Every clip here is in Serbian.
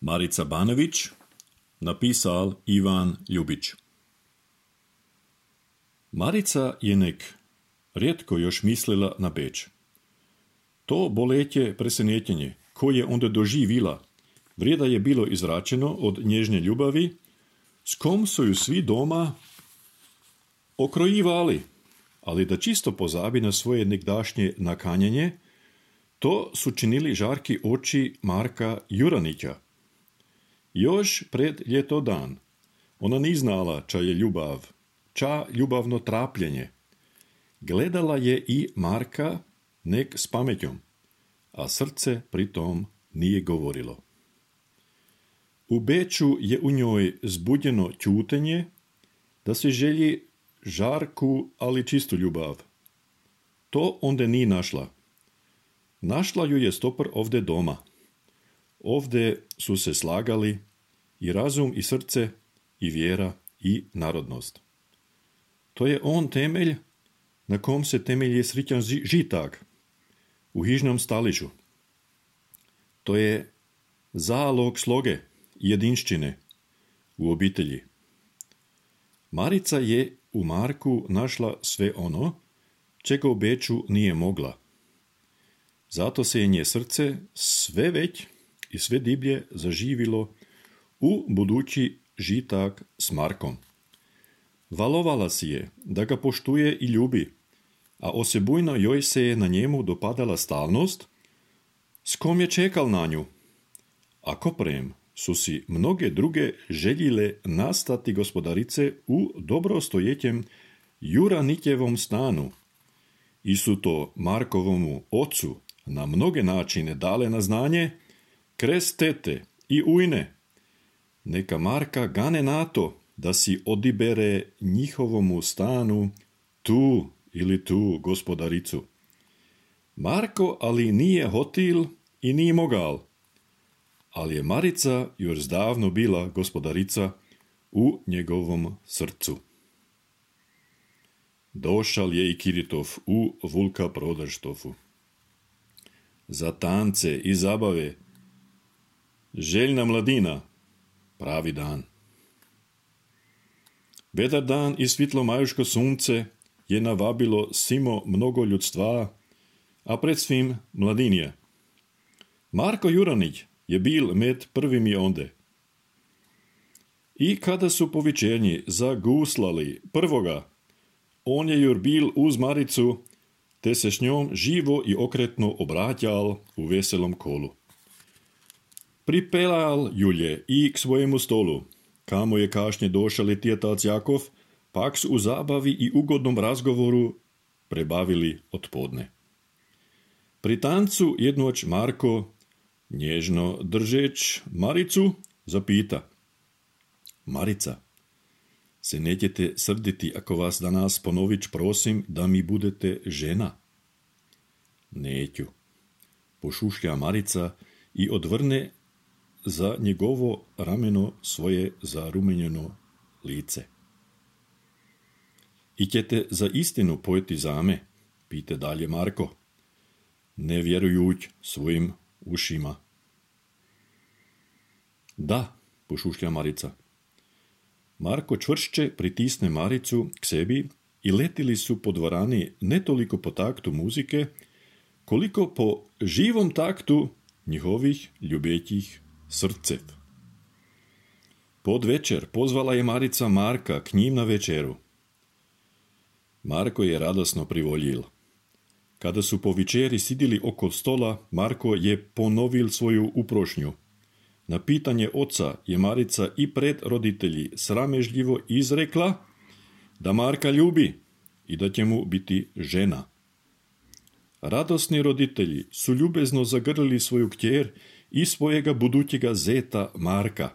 Marica Banović, napisal Ivan Ljubić. Marica je nek rijetko još mislila na Beč. To boletje presenjetenje, koje onda doživila, vrijeda je bilo izračeno od nježne ljubavi, s kom su ju svi doma okrojivali, ali da čisto pozabi na svoje nekdašnje nakanjanje, to su činili žarki oči Marka Juranića. Još pred ljeto dan ona ni znala ča je ljubav, ča ljubavno trapljenje. Gledala je i Marka nek s pametjom, a srce pritom nije govorilo. U Beču je u njoj zbudjeno ćutenje, da se želji žarku, ali čistu ljubav. To onda nije našla. Našla ju je stopar ovdje doma. Ovdje su se slagali i razum i srce, i vjera i narodnost. To je on temelj na kom se temelji srićan žitak u hižnom staliću. To je zalog sloge i jedinščine u obitelji. Marica je u Marku našla sve ono, čega u Beču nije mogla. Zato se je nje srce sve već i sve diblje zaživilo u budući žitak s Markom. Valovala si je da ga poštuje i ljubi, a osebujno joj se je na njemu dopadala stalnost, s kom je čekal na nju. A koprem su si mnoge druge željile nastati gospodarice u dobrostojećem Juranitjevom stanu i su to Markovomu ocu na mnoge načine dale na znanje kres tete i ujne. Neka Marka gane na to da si odibere njihovomu stanu tu ili tu gospodaricu. Marko ali nije hotil i nije mogal, ali je Marica još zdavno bila gospodarica u njegovom srcu. Došal je i Kiritov u Vulka Prodaštofu. Za tance i zabave željna mladina, pravi dan. Vedar dan i svitlo majuško sunce je navabilo simo mnogo ljudstva, a pred svim mladinje. Marko Juranić je bil med prvimi onde. I kada su po večernji zaguslali prvoga, on je jur bil uz Maricu, te se s njom živo i okretno obratjal u veselom kolu. Pripelal Julje i k svojemu stolu, kamo je kašnje došali tjetac Jakov, pak su u zabavi i ugodnom razgovoru prebavili odpodne. Pri tancu jednoć Marko, nježno držeć Maricu, zapita: Marica, se nećete srditi ako vas danas ponović prosim da mi budete žena? Neću, pošušlja Marica i odvrne za njegovo rameno svoje zarumenjeno lice. I ćete za istinu pojeti zame, pite dalje Marko, ne vjerujuć svojim ušima. Da, pošušlja Marica. Marko čvršće pritisne Maricu k sebi i letili su po dvorani ne toliko po taktu muzike, koliko po živom taktu njihovih ljubjećih srcev. Pod večer pozvala je Marica Marka k njim na večeru. Marko je radosno privoljil. Kada su po večeri sidili oko stola, Marko je ponovil svoju uprošnju. Na pitanje oca je Marica i pred roditelji sramežljivo izrekla da Marka ljubi i da će mu biti žena. Radosni roditelji su ljubezno zagrlili svoju kćer i svojega budućega zeta Marka.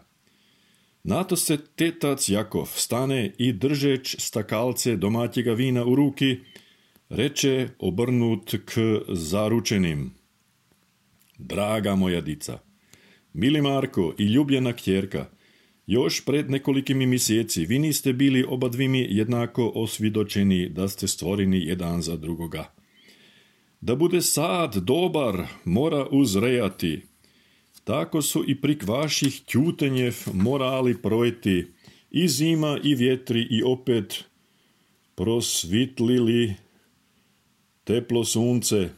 Nato se tetac Jakov stane i držeć stakalce domaćega vina u ruki, reče obrnut k zaručenim: Draga moja dica, mili Marko i ljubljena kćerka, još pred nekolikimi mjeseci vi niste bili obadvimi jednako osvidočeni da ste stvoreni jedan za drugoga. Da bude sad dobar, mora uzrejati, tako su i prik vaših tjutenjev morali projti i zima i vjetri i opet prosvitlili teplo sunce,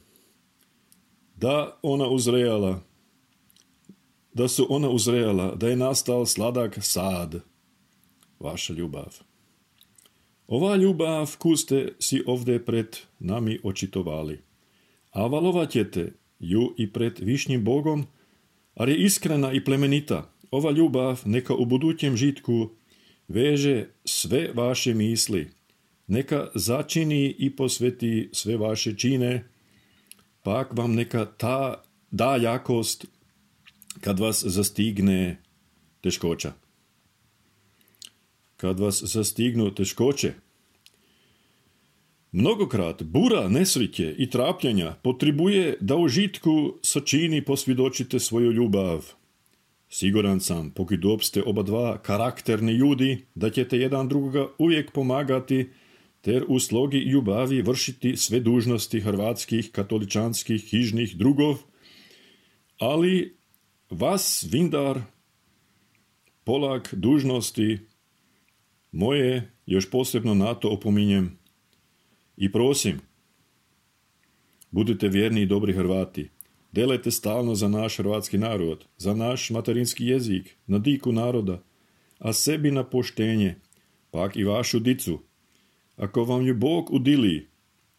da su ona uzrejala, da je nastal sladak sad, vaša ljubav. Ova ljubav, koju ste si ovdje pred nami očitovali, a valovat ćete ju i pred višnjim Bogom, ali je iskrena i plemenita. Ova ljubav neka u budućem žitku veže sve vaše misli, neka začini i posveti sve vaše čine, pak vam neka ta da jakost kad vas zastigne teškoća. Kad vas zastignu teškoće. Mnogokrat bura, nesriće i trapljenja potrebuje da u žitku sačini posvjedočite svoju ljubav. Siguran sam, pokud ste oba dva karakterni ljudi, da ćete jedan drugoga uvijek pomagati, ter u slogi ljubavi vršiti sve dužnosti hrvatskih katoličanskih hižnih drugov, ali vas, vindar, polak dužnosti moje, još posebno na to opominjem i prosim, budite vjerni i dobri Hrvati, delajte stalno za naš hrvatski narod, za naš materinski jezik, na diku naroda, a sebi na poštenje, pak i vašu dicu. Ako vam ju Bog udili,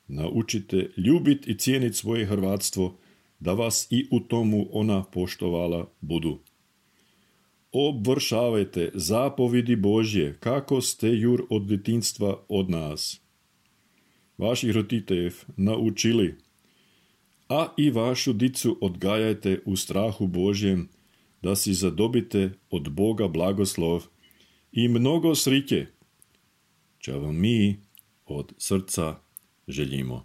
naučite ljubit i cijenit svoje hrvatstvo, da vas i u tomu ona poštovala budu. Obvršavajte zapovidi Božje, kako ste jur od djetinjstva od nas. Vaših roditeljev naučili, a i vašu dicu odgajajte u strahu Božjem, da si zadobite od Boga blagoslov i mnogo sriće, čo vam mi od srca želimo.